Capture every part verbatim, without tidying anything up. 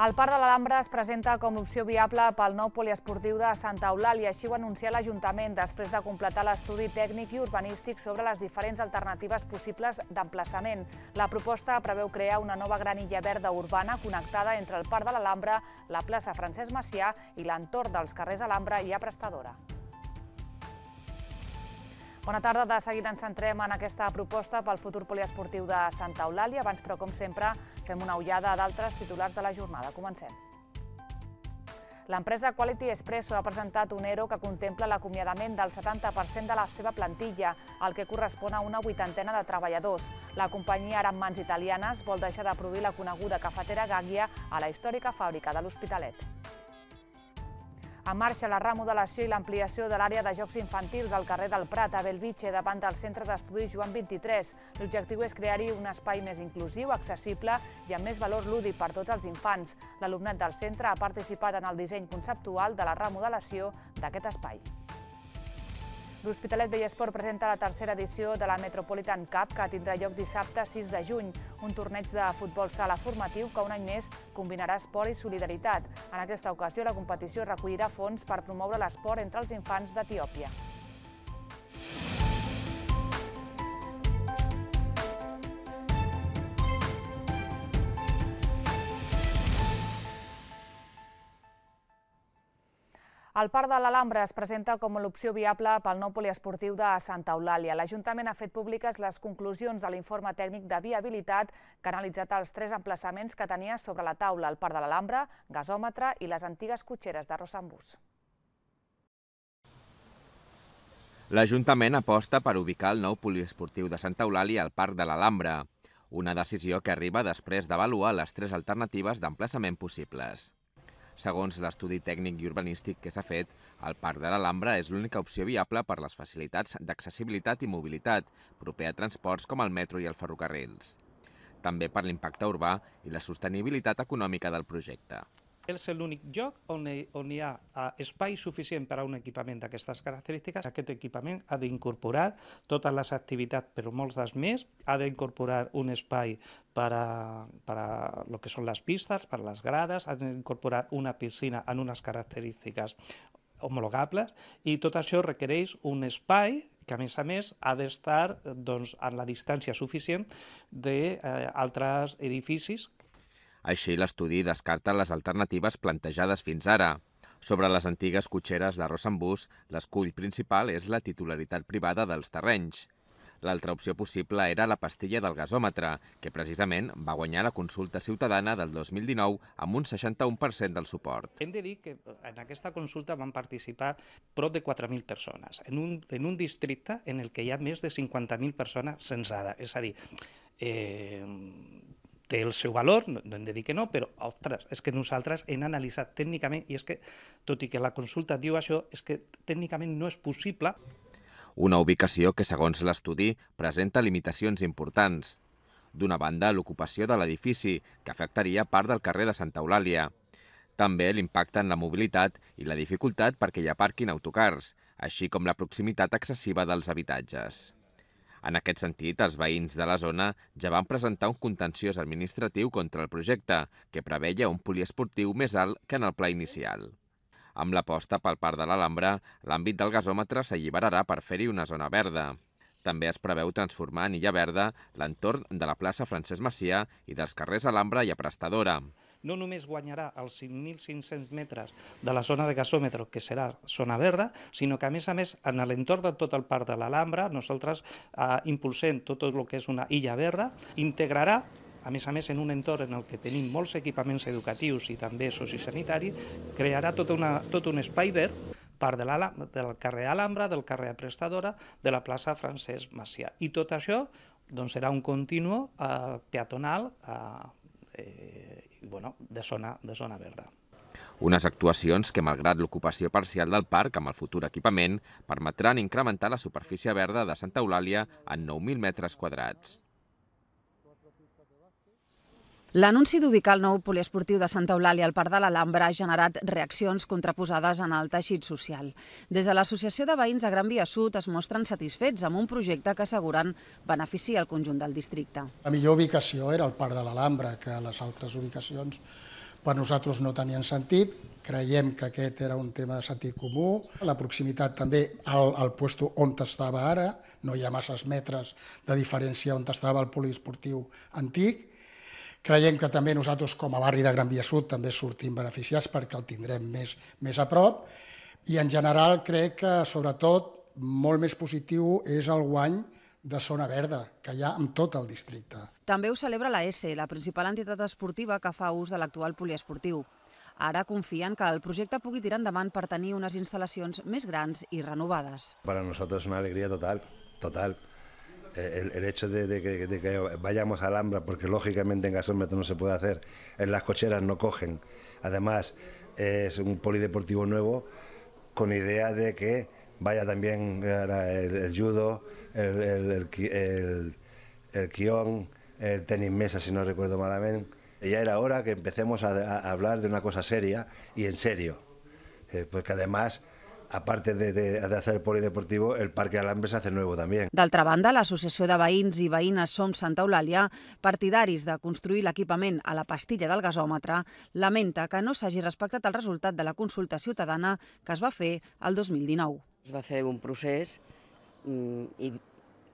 El Parc de l'Alhambra es presenta com l'opció viable pel nou poliesportiu de Santa Eulàlia, així ho ha anunciat l'Ajuntament després de completar l'estudi tècnic i urbanístic sobre les diferents alternatives possibles d'emplaçament. La proposta preveu crear una nova gran illa verda urbana connectada entre el Parc de l'Alhambra, la plaça Francesc Macià i l'entorn dels carrers Alhambra i Prestadora. Bona tarda, de seguida ens centrem en aquesta proposta pel futur poliesportiu de Santa Eulàlia. Abans, però, com sempre, fem una ullada a d'altres titulars de la jornada. Comencem. L'empresa Quality Espresso ha presentat un ERO que contempla l'acomiadament del setanta per cent de la seva plantilla, el que correspon a una vuitantena de treballadors. La companyia, ara en mans italianes, vol deixar de produir la coneguda cafetera Gaggia a la històrica fàbrica de l'Hospitalet. En marxa la remodelació i l'ampliació de l'àrea de jocs infantils al carrer del Prat, a Bellvitge, davant del Centre d'Estudis Joan vint-i-tres. L'objectiu és crear-hi un espai més inclusiu, accessible i amb més valor lúdic per tots els infants. L'alumnat del centre ha participat en el disseny conceptual de la remodelació d'aquest espai. L'Hospitalet Vellesport presenta la tercera edició de la Metropolitan Cup, que tindrà lloc dissabte sis de juny, un torneig de futbol sala formatiu que un any més combinarà esport i solidaritat. En aquesta ocasió, la competició recollirà fons per promoure l'esport entre els infants d'Etiòpia. El Parc de l'Alhambra es presenta com l'opció viable pel nou poliesportiu de Santa Eulàlia. L'Ajuntament ha fet públiques les conclusions de l'informe tècnic de viabilitat que ha analitzat els tres emplaçaments que tenia sobre la taula: el Parc de l'Alhambra, gasòmetre i les antigues cotxeres de Rossambús. L'Ajuntament aposta per ubicar el nou poliesportiu de Santa Eulàlia al Parc de l'Alhambra, una decisió que arriba després d'avaluar les tres alternatives d'emplaçament possibles. Segons l'estudi tècnic i urbanístic que s'ha fet, el Parc de l'Alhambra és l'única opció viable per les facilitats d'accessibilitat i mobilitat, proper a transports com el metro i els ferrocarrils. També per l'impacte urbà i la sostenibilitat econòmica del projecte. És l'únic lloc on hi ha espai suficient per a un equipament d'aquestes característiques. Aquest equipament ha d'incorporar totes les activitats, però molts dels més. Ha d'incorporar un espai per a el que són les pistes, per a les grades, ha d'incorporar una piscina en unes característiques homologables i tot això requereix un espai que, a més a més, ha d'estar en la distància suficient d'altres edificis. Així, l'estudi descarta les alternatives plantejades fins ara. Sobre les antigues cotxeres de Rossambús, l'escull principal és la titularitat privada dels terrenys. L'altra opció possible era la pastilla del gasòmetre, que precisament va guanyar la consulta ciutadana del dos mil dinou amb un seixanta-u per cent del suport. Hem de dir que en aquesta consulta van participar prop de quatre mil persones, en un, en un districte en el que hi ha més de cinquanta mil persones censades. És a dir, eh, té el seu valor, no hem de dir que no, però ostres, és que nosaltres hem analitzat tècnicament, i és que, tot i que la consulta diu això, és que tècnicament no és possible. Una ubicació que, segons l'estudi, presenta limitacions importants. D'una banda, l'ocupació de l'edifici, que afectaria part del carrer de Santa Eulàlia. També l'impacte en la mobilitat i la dificultat perquè hi aparquin autocars, així com la proximitat excessiva dels habitatges. En aquest sentit, els veïns de la zona ja van presentar un contenciós administratiu contra el projecte, que preveia un poliesportiu més alt que en el pla inicial. Amb l'aposta pel Parc de l'Alhambra, l'àmbit del gasòmetre s'alliberarà per fer-hi una zona verda. També es preveu transformar en illa verda l'entorn de la plaça Francesc Macià i dels carrers Alhambra i Prestadora. No només guanyarà els cinc mil cinc-cents metres de la zona de gasòmetre, que serà zona verda, sinó que, a més a més, en l'entorn de tot el Parc de l'Alhambra, nosaltres eh, impulsem tot el que és una illa verda, integrarà, a més a més, en un entorn en el que tenim molts equipaments educatius i també sociosanitaris, crearà tot, una, tot un espai verd, part de del carrer Alhambra, del carrer Prestadora, de la plaça Francesc Macià. I tot això doncs, serà un continu eh, peatonal eh, i, bueno, de, zona, de zona verda. Unes actuacions que, malgrat l'ocupació parcial del parc amb el futur equipament, permetran incrementar la superfície verda de Santa Eulàlia en nou mil metres quadrats. L'anunci d'ubicar el nou poliesportiu de Santa Eulàlia al Parc de l'Alhambra ha generat reaccions contraposades en el teixit social. Des de l'Associació de Veïns de Gran Via Sud es mostren satisfets amb un projecte que asseguren beneficia el conjunt del districte. La millor ubicació era el Parc de l'Alhambra, que les altres ubicacions per nosaltres no tenien sentit. Creiem que aquest era un tema de sentit comú. La proximitat també al, al puesto on estava ara, no hi ha masses metres de diferència on estava el poliesportiu antic. Creiem que també nosaltres com a barri de Gran Via Sud també sortim beneficiats perquè el tindrem més, més a prop i en general crec que sobretot molt més positiu és el guany de zona verda que hi ha en tot el districte. També ho celebra la ESE, la principal entitat esportiva que fa ús de l'actual poliesportiu. Ara confien que el projecte pugui tirar endavant per tenir unes instal·lacions més grans i renovades. Para nosotros es una alegría total, total. El, el hecho de, de, que, de que vayamos a Alhambra, porque lógicamente en gasómetro no se puede hacer, en las cocheras no cogen. Además, es un polideportivo nuevo con idea de que vaya también el, el judo, el, el, el, el, el quión, el tenis mesa, si no recuerdo malamente. Ya era hora que empecemos a, a hablar de una cosa seria y en serio, eh, porque además, aparte de, de, de hacer el polideportivo, el Parque Alhambra se hace nuevo també. D'altra banda, l'Associació de Veïns i Veïnes Som Santa Eulàlia, partidaris de construir l'equipament a la pastilla del gasòmetre, lamenta que no s'hagi respectat el resultat de la consulta ciutadana que es va fer el dos mil dinou. Es va fer un procés i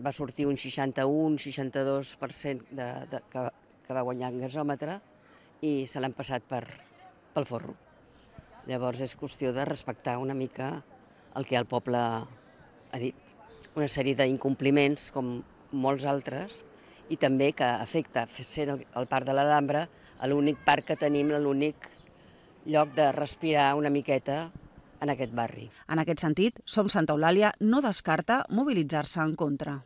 va sortir un seixanta-u seixanta-dos per cent de, de, que, que va guanyar en gasòmetre i se l'han passat per, pel forro. Llavors és qüestió de respectar una mica el que el poble ha dit. Una sèrie d'incompliments, com molts altres, i també que afecta, sent el Parc de l'Alhambra, l'únic parc que tenim, l'únic lloc de respirar una miqueta en aquest barri. En aquest sentit, Som Santa Eulàlia no descarta mobilitzar-se en contra.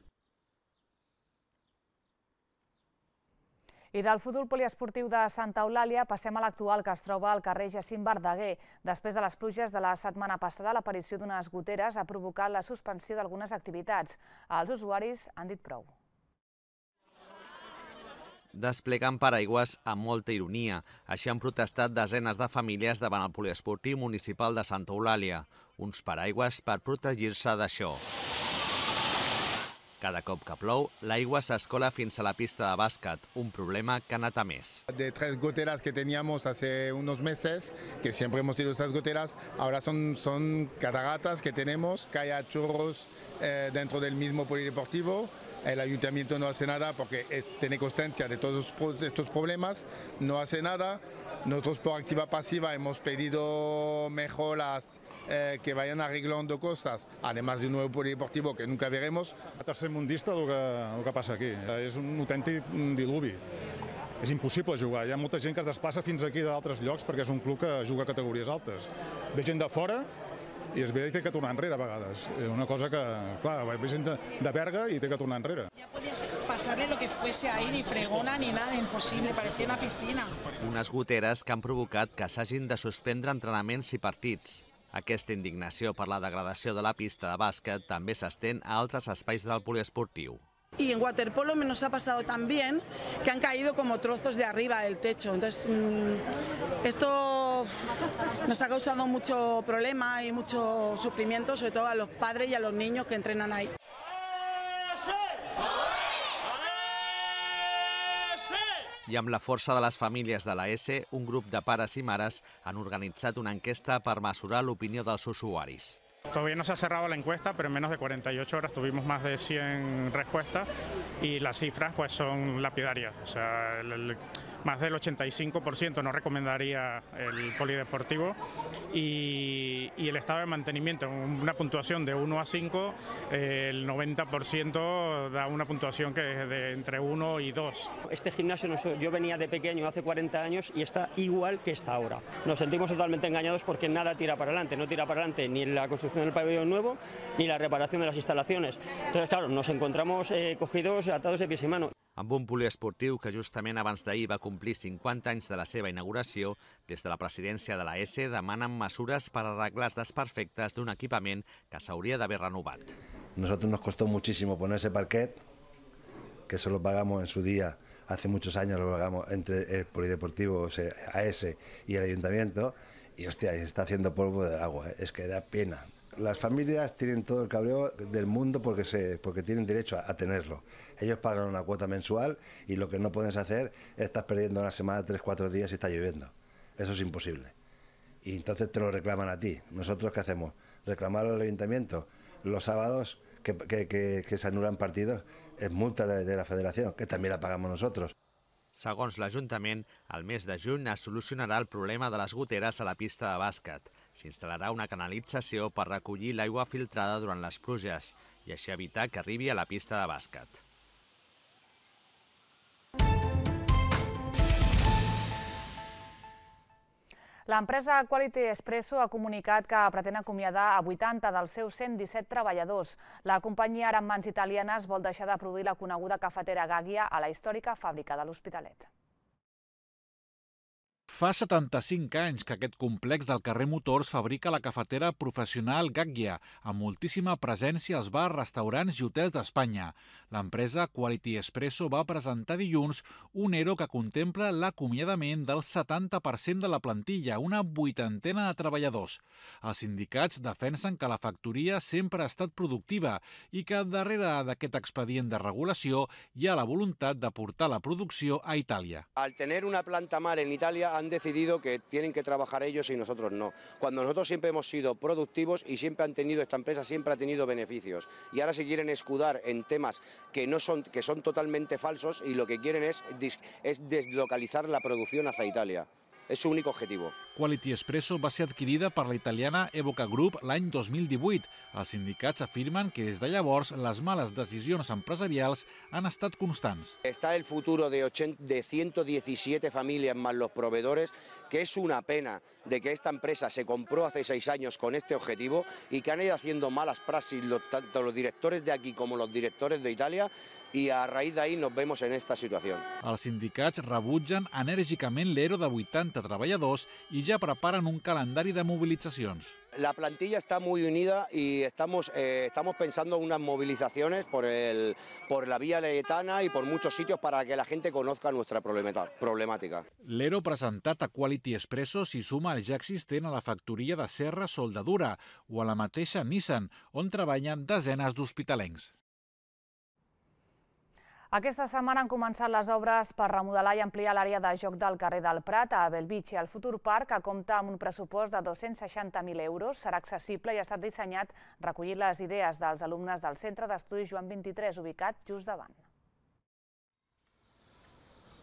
I del futur poliesportiu de Santa Eulàlia passem a l'actual, que es troba al carrer Jacint Verdaguer. Després de les pluges de la setmana passada, l'aparició d'unes goteres ha provocat la suspensió d'algunes activitats. Els usuaris han dit prou. Desplegant paraigües amb molta ironia. Així han protestat desenes de famílies davant el poliesportiu municipal de Santa Eulàlia. Uns paraigües per protegir-se d'això. Cada cop que plou, l'aigua s'escola fins a la pista de bàsquet, un problema que ha anat a més. De tres goteras que teníamos hace unos meses, que siempre hemos tenido esas goteras, ahora son, son cataratas que tenemos, que haya chorros eh, dentro del mismo polideportivo. El ayuntamiento no hace nada porque tiene constancia de todos estos problemas, no hace nada. Nosotros por activa pasiva hemos pedido mejoras eh, que vayan arreglando cosas, además de un nuevo polideportivo que nunca veremos. Tercermundista el que, el que passa aquí. És un autèntic diluvi. És impossible jugar. Hi ha molta gent que es desplaça fins aquí d'altres llocs perquè és un club que juga a categories altes. Ve gent de fora i es ve i té que tornar enrere a vegades. Una cosa que, clar, ve gent de Berga i té que tornar enrere. Ja podies passar-li lo que fuese ahí, ni fregona ni nada, imposible, parecía una piscina. Unes goteres que han provocat que s'hagin de suspendre entrenaments i partits. Aquesta indignació per la degradació de la pista de bàsquet també s'estén a altres espais del poliesportiu. Y en waterpolo nos ha pasado también que han caído como trozos de arriba del techo. Entonces, esto nos ha causado mucho problema y mucho sufrimiento, sobre todo a los padres y a los niños que entrenan ahí. I amb la força de les famílies de la ESE, un grup de pares i mares han organitzat una enquesta per mesurar l'opinió dels usuaris. Todavía no se ha cerrado la encuesta, pero en menos de cuarenta y ocho horas tuvimos más de cien respuestas y las cifras pues son lapidarias. O sea, el, el, más del ochenta y cinco por ciento no recomendaría el polideportivo y, y el estado de mantenimiento, una puntuación de uno a cinco, eh, el noventa por ciento da una puntuación que es de entre uno y dos. Este gimnasio, yo venía de pequeño hace cuarenta años y está igual que está ahora. Nos sentimos totalmente engañados porque nada tira para adelante, no tira para adelante ni la construcción del pabellón nuevo ni la reparación de las instalaciones. Entonces, claro, nos encontramos eh, cogidos, atados de pies y manos. Amb un poliesportiu que justament abans d'ahir va complir cinquanta anys de la seva inauguració, des de la presidència de la ESE demanen mesures per arreglar els desperfectes d'un equipament que s'hauria d'haver renovat. Nosotros nos costó muchísimo poner ese parquet, que eso lo pagamos en su día, hace muchos años lo pagamos entre el polideportivo, o sea, A S y el ayuntamiento, y hostia, se está haciendo polvo del agua, ¿eh? Es que da pena. Las familias tienen todo el cabreo del mundo porque, se, porque tienen derecho a, a tenerlo. Ellos pagan una cuota mensual y lo que no puedes hacer es estar perdiendo una semana, tres, cuatro días si está lloviendo. Eso es imposible. Y entonces te lo reclaman a ti. ¿Nosotros qué hacemos? ¿Reclamar al ayuntamiento? Los sábados que, que, que, que se anulan partidos es multa de, de la federación, que también la pagamos nosotros. Segons l'Ajuntament, al mes de juny es solucionarà el problema de les goteres a la pista de bàsquet. S'instal·larà una canalització per recollir l'aigua filtrada durant les pluges i així evitar que arribi a la pista de bàsquet. L'empresa Quality Espresso ha comunicat que pretén acomiadar a vuitanta dels seus cent disset treballadors. La companyia, ara en mans italianes, vol deixar de produir la coneguda cafetera Gaggia a la històrica fàbrica de l'Hospitalet. Fa setanta-cinc anys que aquest complex del carrer Motors fabrica la cafetera professional Gaggia, amb moltíssima presència als bars, restaurants i hotels d'Espanya. L'empresa Quality Espresso va presentar dilluns un ERO que contempla l'acomiadament del setanta per cent de la plantilla, una vuitantena de treballadors. Els sindicats defensen que la factoria sempre ha estat productiva i que darrere d'aquest expedient de regulació hi ha la voluntat de portar la producció a Itàlia. Al tener una planta mar en Italia han decidido que tienen que trabajar ellos y nosotros no. Cuando nosotros siempre hemos sido productivos y siempre han tenido, esta empresa siempre ha tenido beneficios. Y ahora se quieren escudar en temas que, no son, que son totalmente falsos y lo que quieren es, es deslocalizar la producción hacia Italia. És su únic objectiu. Quality Espresso va ser adquirida per la italiana Evoca Group l'any dos mil divuit. Els sindicats afirmen que des de llavors les males decisions empresarials han estat constants. Está el futuro de, de ciento diecisiete familias más los proveedores, que es una pena de que esta empresa se compró hace seis años con este objetivo y que han ido haciendo malas praxis los, tanto los directores de aquí como los directores de Italia, i a raïs d'ahir nos vemos en esta situació. Els sindicats rebutgen enèrgicament l'ERO de vuitanta treballadors i ja preparen un calendari de mobilitzacions. La plantilla está muy unida y estamos, eh, estamos pensando en unas movilizaciones por, el, por la vía Laietana y por muchos sitios para que la gente conozca nuestra problemàtica. L'ERO presentat a Quality Espresso s'hi suma al ja existent a la factoria de Serra Soldadura o a la mateixa Nissan, on treballen desenes d'hospitalencs. Aquesta setmana han començat les obres per remodelar i ampliar l'àrea de joc del carrer del Prat a Bellvitge. El futur parc, que compta amb un pressupost de dos-cents seixanta mil euros, serà accessible i ha estat dissenyat recollint les idees dels alumnes del Centre d'Estudis Joan vint-i-tres, ubicat just davant.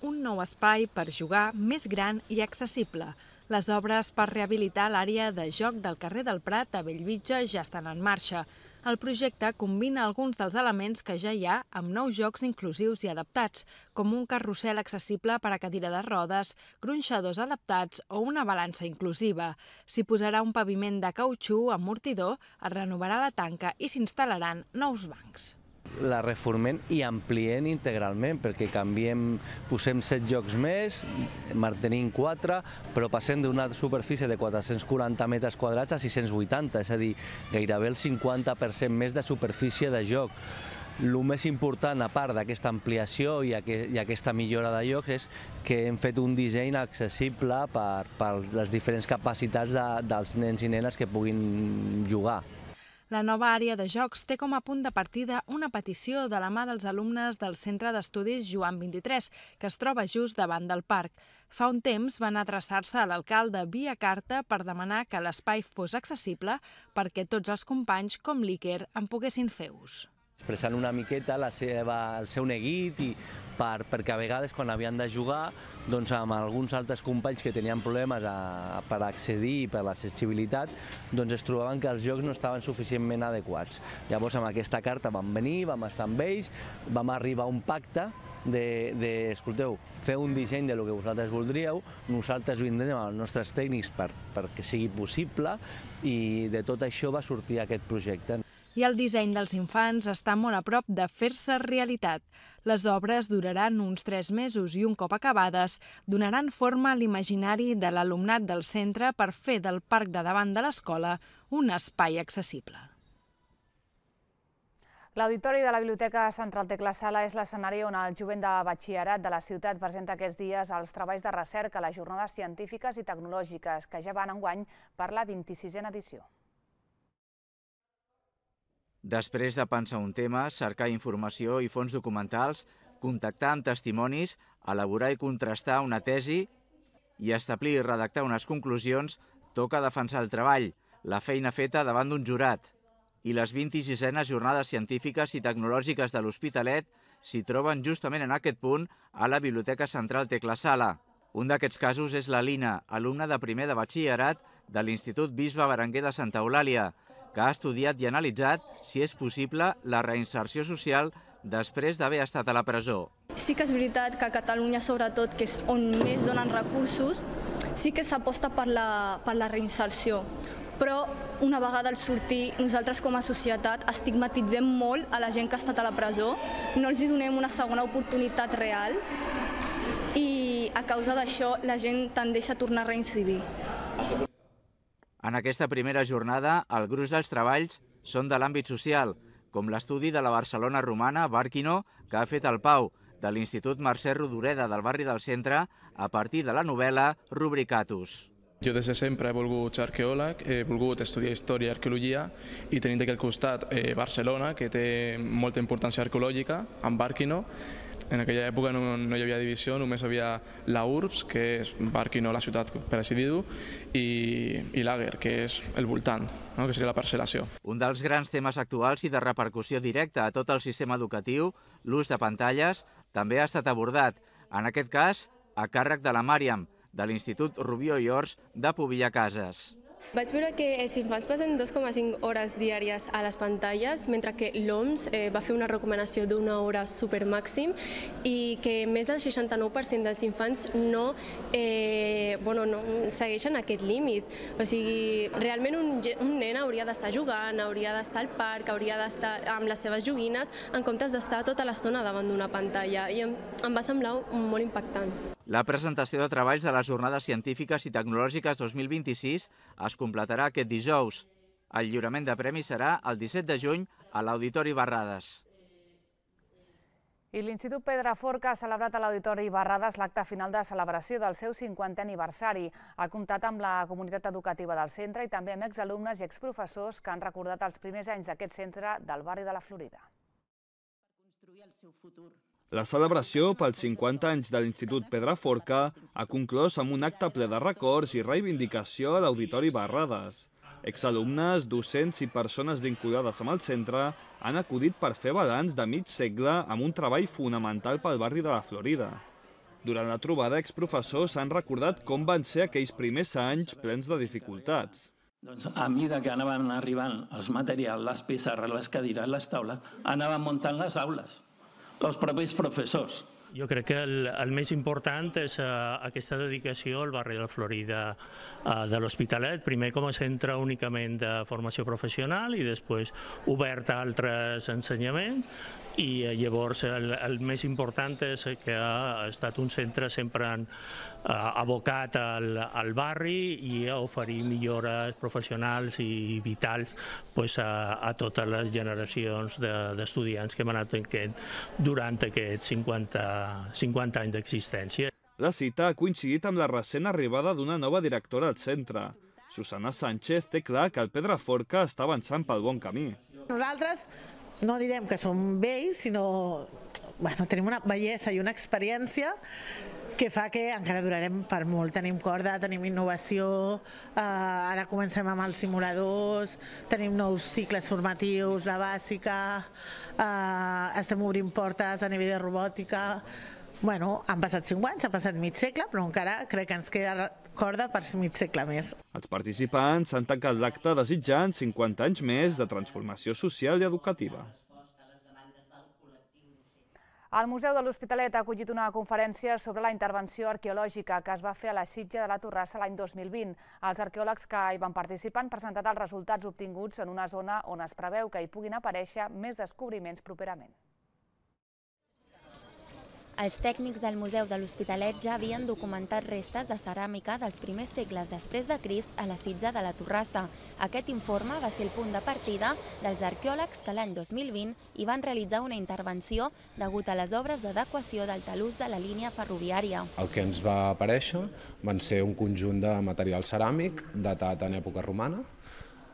Un nou espai per jugar més gran i accessible. Les obres per rehabilitar l'àrea de joc del carrer del Prat a Bellvitge ja estan en marxa. El projecte combina alguns dels elements que ja hi ha amb nous jocs inclusius i adaptats, com un carrusel accessible per a cadira de rodes, gronxadors adaptats o una balança inclusiva. S'hi posarà un paviment de cautxú amortidor, es renovarà la tanca i s'instal·laran nous bancs. La reformem i ampliem integralment, perquè canviem, posem set jocs més, mantenim quatre, però passem d'una superfície de quatre-cents quaranta metres quadrats a sis-cents vuitanta, és a dir, gairebé el cinquanta per cent més de superfície de joc. El més important, a part d'aquesta ampliació i aquesta millora de jocs, és que hem fet un disseny accessible per les diferents capacitats dels nens i nenes que puguin jugar. La nova àrea de jocs té com a punt de partida una petició de la mà dels alumnes del Centre d'Estudis Joan vint-i-tres, que es troba just davant del parc. Fa un temps van adreçar-se a l'alcalde via carta per demanar que l'espai fos accessible perquè tots els companys, com l'Iker, en poguessin fer ús. Expressant una miqueta la seva, el seu neguit i per, perquè a vegades quan havien de jugar doncs amb alguns altres companys que tenien problemes a, per accedir per l'accessibilitat doncs es trobaven que els jocs no estaven suficientment adequats. Llavors amb aquesta carta vam venir, vam estar amb ells, vam arribar a un pacte de, de escolteu, feu un disseny de lo que vosaltres voldríeu, nosaltres vindrem als nostres tècnics per, perquè sigui possible i de tot això va sortir aquest projecte. I el disseny dels infants està molt a prop de fer-se realitat. Les obres duraran uns tres mesos i un cop acabades donaran forma a l'imaginari de l'alumnat del centre per fer del parc de davant de l'escola un espai accessible. L'Auditori de la Biblioteca Central Tecla Sala és l'escenari on el jovent de batxillerat de la ciutat presenta aquests dies els treballs de recerca a les jornades científiques i tecnològiques que ja van enguany per la vint-i-sisena edició. Després de pensar un tema, cercar informació i fons documentals, contactar amb testimonis, elaborar i contrastar una tesi i establir i redactar unes conclusions, toca defensar el treball, la feina feta davant d'un jurat. I les vint-i-sisenes jornades científiques i tecnològiques de l'Hospitalet s'hi troben justament en aquest punt a la Biblioteca Central Tecla Sala. Un d'aquests casos és la Lina, alumna de primer de batxillerat de l'Institut Bisbe Berenguer de Santa Eulàlia, que ha estudiat i analitzat si és possible la reinserció social després d'haver estat a la presó. Sí que és veritat que a Catalunya, sobretot, que és on més donen recursos, sí que s'aposta per la, per la reinserció. Però una vegada al sortir, nosaltres com a societat estigmatitzem molt a la gent que ha estat a la presó, no els donem una segona oportunitat real i a causa d'això la gent tendeix a tornar a reincidir. En aquesta primera jornada, el gruix dels treballs són de l'àmbit social, com l'estudi de la Barcelona romana Barquino que ha fet el Pau, de l'Institut Mercè Rodoreda del barri del Centre, a partir de la novel·la Rubricatus. Jo des de sempre he volgut ser arqueòleg, he volgut estudiar història i arqueologia i tenint aquí al costat eh, Barcelona, que té molta importància arqueològica, amb Barquino. En aquella època no, no hi havia divisió, només havia la Urbs, que és Barquino, la ciutat per així dir-ho, i, i l'Ager, que és el voltant, no? Que seria la parcel·lació. Un dels grans temes actuals i de repercussió directa a tot el sistema educatiu, l'ús de pantalles, també ha estat abordat, en aquest cas a càrrec de la Màriam, de l'Institut Rubió i Ors de Pobilla Cases. Vaig veure que els infants passen dos coma cinc hores diàries a les pantalles, mentre que l'O M S eh, va fer una recomanació d'una hora supermàxim i que més del seixanta-nou per cent dels infants no, eh, bueno, no segueixen aquest límit. O sigui, realment un, un nen hauria d'estar jugant, hauria d'estar al parc, hauria d'estar amb les seves joguines, en comptes d'estar tota l'estona davant d'una pantalla. I em, em va semblar molt impactant. La presentació de treballs de les Jornades Científiques i Tecnològiques dos mil vint-i-sis es completarà aquest dijous. El lliurament de premis serà el disset de juny a l'Auditori Barrades. I l'Institut Pedraforca ha celebrat a l'Auditori Barrades l'acte final de celebració del seu cinquantè aniversari. Ha comptat amb la comunitat educativa del centre i també amb exalumnes i exprofessors que han recordat els primers anys d'aquest centre del barri de la Florida. La celebració pels cinquanta anys de l'Institut Pedraforca ha conclòs amb un acte ple de records i reivindicació a l'Auditori Barrades. Exalumnes, docents i persones vinculades amb el centre han acudit per fer balanç de mig segle amb un treball fonamental pel barri de la Florida. Durant la trobada, exprofessors han recordat com van ser aquells primers anys plens de dificultats. Doncs a mesura que anaven arribant els materials, les pissarres, les cadires, les taules, anaven muntant les aules. Els propis professors. Jo crec que el, el més important és uh, aquesta dedicació al barri de la Florida uh, de l'Hospitalet, primer com a centre únicament de formació professional i després obert a altres ensenyaments, i uh, llavors el, el més important és que ha estat un centre sempre en, uh, abocat al, al barri i a oferir millores professionals i vitals pues, a, a totes les generacions d'estudiants de, que hem anat tenint durant aquests cinquanta cinquanta anys d'existència. La cita ha coincidit amb la recent arribada d'una nova directora al centre. Susana Sánchez té clar que el Pedraforca està avançant pel bon camí. Nosaltres no direm que som vells, sinó bueno, tenim una bellesa i una experiència que fa que encara durarem per molt. Tenim corda, tenim innovació, eh, ara comencem amb els simuladors, tenim nous cicles formatius de bàsica, eh, estem obrint portes a nivell de robòtica. Bueno, han passat cinc anys, ha passat mig segle, però encara crec que ens queda corda per mig segle més. Els participants han tancat l'acte desitjant cinquanta anys més de transformació social i educativa. El Museu de l'Hospitalet ha acollit una conferència sobre la intervenció arqueològica que es va fer a la Sitja de la Torrassa l'any dos mil vint. Els arqueòlegs que hi van participar han presentat els resultats obtinguts en una zona on es preveu que hi puguin aparèixer més descobriments properament. Els tècnics del Museu de l'Hospitalet ja havien documentat restes de ceràmica dels primers segles després de Crist a la Sitja de la Torrassa. Aquest informe va ser el punt de partida dels arqueòlegs que l'any dos mil vint hi van realitzar una intervenció degut a les obres d'adequació del talús de la línia ferroviària. El que ens va aparèixer van ser un conjunt de material ceràmic datat en època romana,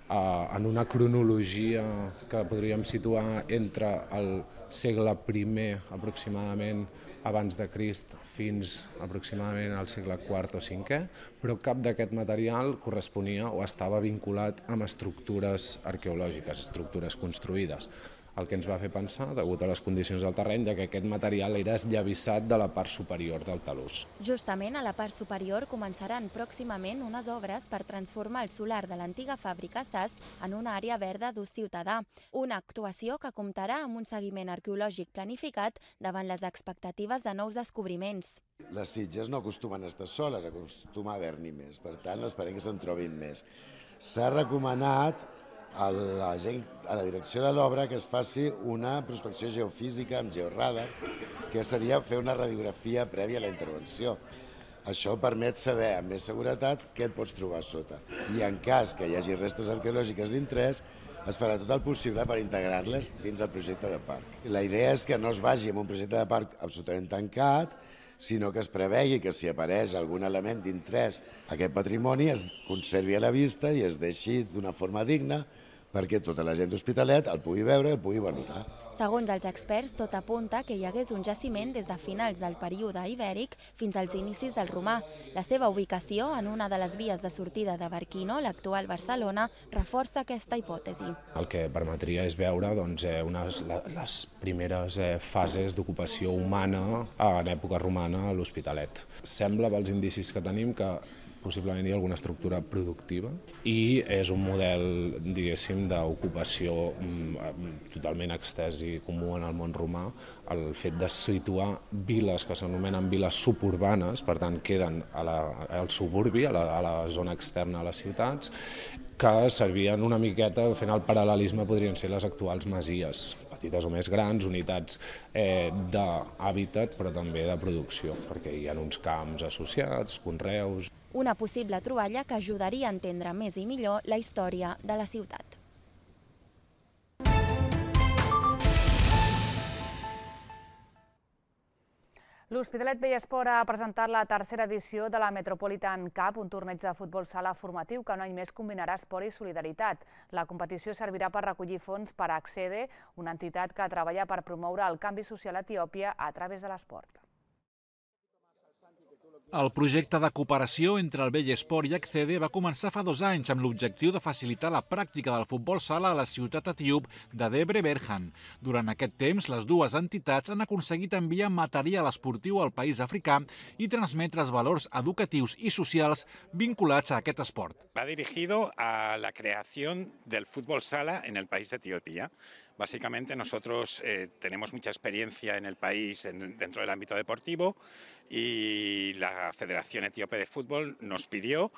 en una cronologia que podríem situar entre el segle primer aproximadament abans de Crist fins aproximadament al segle quart o cinquè, però cap d'aquest material corresponia o estava vinculat amb estructures arqueològiques, estructures construïdes. El que ens va fer pensar, degut a les condicions del terreny, que aquest material era esllavissat de la part superior del talús. Justament a la part superior començaran pròximament unes obres per transformar el solar de l'antiga fàbrica S A S en una àrea verda d'ús ciutadà, una actuació que comptarà amb un seguiment arqueològic planificat davant les expectatives de nous descobriments. Les Sitges no acostumen a estar soles, acostuma a haver-n'hi més, per tant esperem que se'n trobin més. S'ha recomanat a la, gent, a la direcció de l'obra que es faci una prospecció geofísica amb georradar, que seria fer una radiografia prèvia a la intervenció. Això permet saber amb més seguretat què et pots trobar sota. I en cas que hi hagi restes arqueològiques d'interès, es farà tot el possible per integrar-les dins el projecte de parc. La idea és que no es vagi amb un projecte de parc absolutament tancat, sinó que es prevegi que si apareix algun element d'interès a aquest patrimoni es conservi a la vista i es deixi d'una forma digna perquè tota la gent d'Hospitalet el pugui veure i el pugui valorar. Segons els experts, tot apunta que hi hagués un jaciment des de finals del període ibèric fins als inicis del romà. La seva ubicació en una de les vies de sortida de Barquino, l'actual Barcelona, reforça aquesta hipòtesi. El que permetria és veure doncs, unes, les primeres fases d'ocupació humana en època romana a l'Hospitalet. Sembla, pels indicis que tenim, que possiblement hi ha alguna estructura productiva i és un model, diguéssim, d'ocupació totalment extès i comú en el món romà, el fet de situar viles que s'anomenen viles suburbanes, per tant queden a la, al suburbi, a la, a la zona externa a les ciutats, que servien una miqueta, fent el paral·lelisme, podrien ser les actuals masies, petites o més grans, unitats eh, d'hàbitat però també de producció, perquè hi ha uns camps associats, conreus. Una possible troballa que ajudaria a entendre més i millor la història de la ciutat. L'Hospitalet Vellesport ha presentat la tercera edició de la Metropolitan Cup, un torneig de futbol sala formatiu que un any més combinarà esport i solidaritat. La competició servirà per recollir fons per a Accede, una entitat que treballa per promoure el canvi social a Etiòpia a través de l'esport. El projecte de cooperació entre el Vellesport i Accede va començar fa dos anys amb l'objectiu de facilitar la pràctica del futbol sala a la ciutat etíop de Debre Berhan. Durant aquest temps, les dues entitats han aconseguit enviar material esportiu al país africà i transmetre els valors educatius i socials vinculats a aquest esport. Va dirigido a la creación del fútbol sala en el país de Etiopía. Básicamente nosotros eh, tenemos mucha experiencia en el país en, dentro del ámbito deportivo y la Federación Etíope de Fútbol nos pidió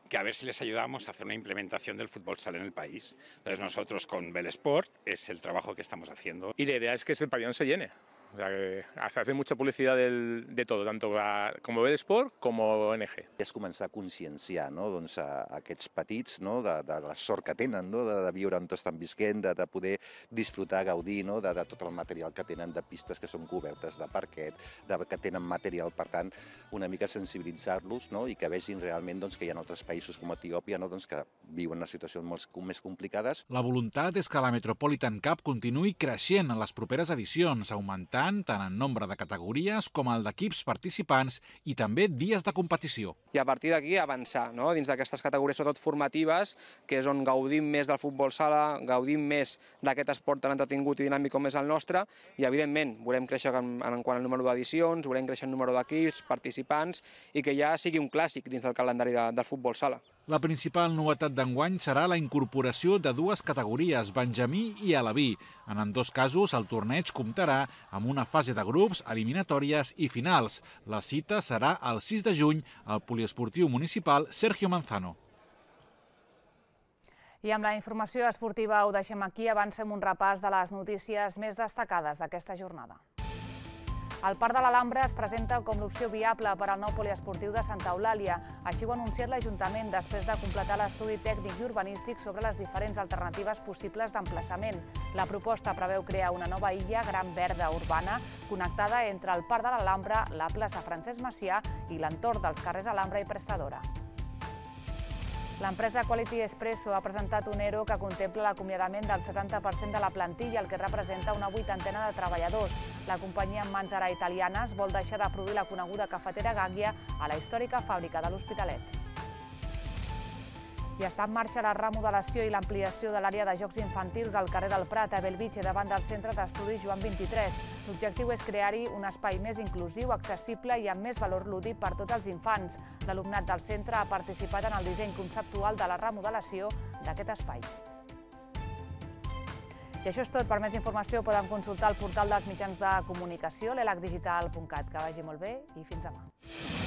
que a ver si les ayudamos a hacer una implementación del fútbol sala en el país. Entonces nosotros con Belesport es el trabajo que estamos haciendo. Y la idea es que el pabellón se llene. O sea, que hace mucha publicidad del, de todo, tanto a, como Belesport como O N G. És començar a conscienciar, no? doncs, a, a aquests petits, no? de, de la sort que tenen, no? de, de viure on estan visquent, de, de poder disfrutar, gaudir no? de, de tot el material que tenen, de pistes que són cobertes, de parquet, de, que tenen material, per tant, una mica sensibilitzar-los no? i que vegin realment doncs, que hi ha altres països com Etiòpia no? doncs, que viuen unes situacions molt més complicades. La voluntat és que la Metropolitan Cup continuï creixent en les properes edicions, augmentant tant en nombre de categories com el d'equips participants i també dies de competició. I a partir d'aquí avançar no? dins d'aquestes categories, sobretot formatives, que és on gaudim més del futbol sala, gaudim més d'aquest esport tan entretingut i dinàmic com és el nostre i, evidentment, volem créixer en, en quant al número d'edicions, volem créixer en número d'equips, participants i que ja sigui un clàssic dins del calendari de, del futbol sala. La principal novetat d'enguany serà la incorporació de dues categories, Benjamí i Aleví. En ambdós casos, el torneig comptarà amb una fase de grups, eliminatòries i finals. La cita serà el sis de juny al poliesportiu municipal Sergio Manzano. I amb la informació esportiva ho deixem aquí. Avancem un repàs de les notícies més destacades d'aquesta jornada. El Parc de l'Alhambra es presenta com l'opció viable per al nou poliesportiu de Santa Eulàlia. Així ho ha anunciat l'Ajuntament després de completar l'estudi tècnic i urbanístic sobre les diferents alternatives possibles d'emplaçament. La proposta preveu crear una nova illa gran verda urbana connectada entre el Parc de l'Alhambra, la plaça Francesc Macià i l'entorn dels carrers Alhambra i Prestadora. L'empresa Quality Espresso ha presentat un ERO que contempla l'acomiadament del setanta per cent de la plantilla, el que representa una vuitantena de treballadors. La companyia en mans ara italianes vol deixar de produir la coneguda cafetera Gaggia a la històrica fàbrica de l'Hospitalet. I està en marxa la remodelació i l'ampliació de l'àrea de jocs infantils al carrer del Prat, a Bellvitge, davant del Centre d'Estudis Joan vint-i-tres. L'objectiu és crear-hi un espai més inclusiu, accessible i amb més valor lúdic per tots els infants. L'alumnat del centre ha participat en el disseny conceptual de la remodelació d'aquest espai. I això és tot. Per més informació poden consultar el portal dels mitjans de comunicació, l'elac digital punt cat. Que vagi molt bé i fins demà.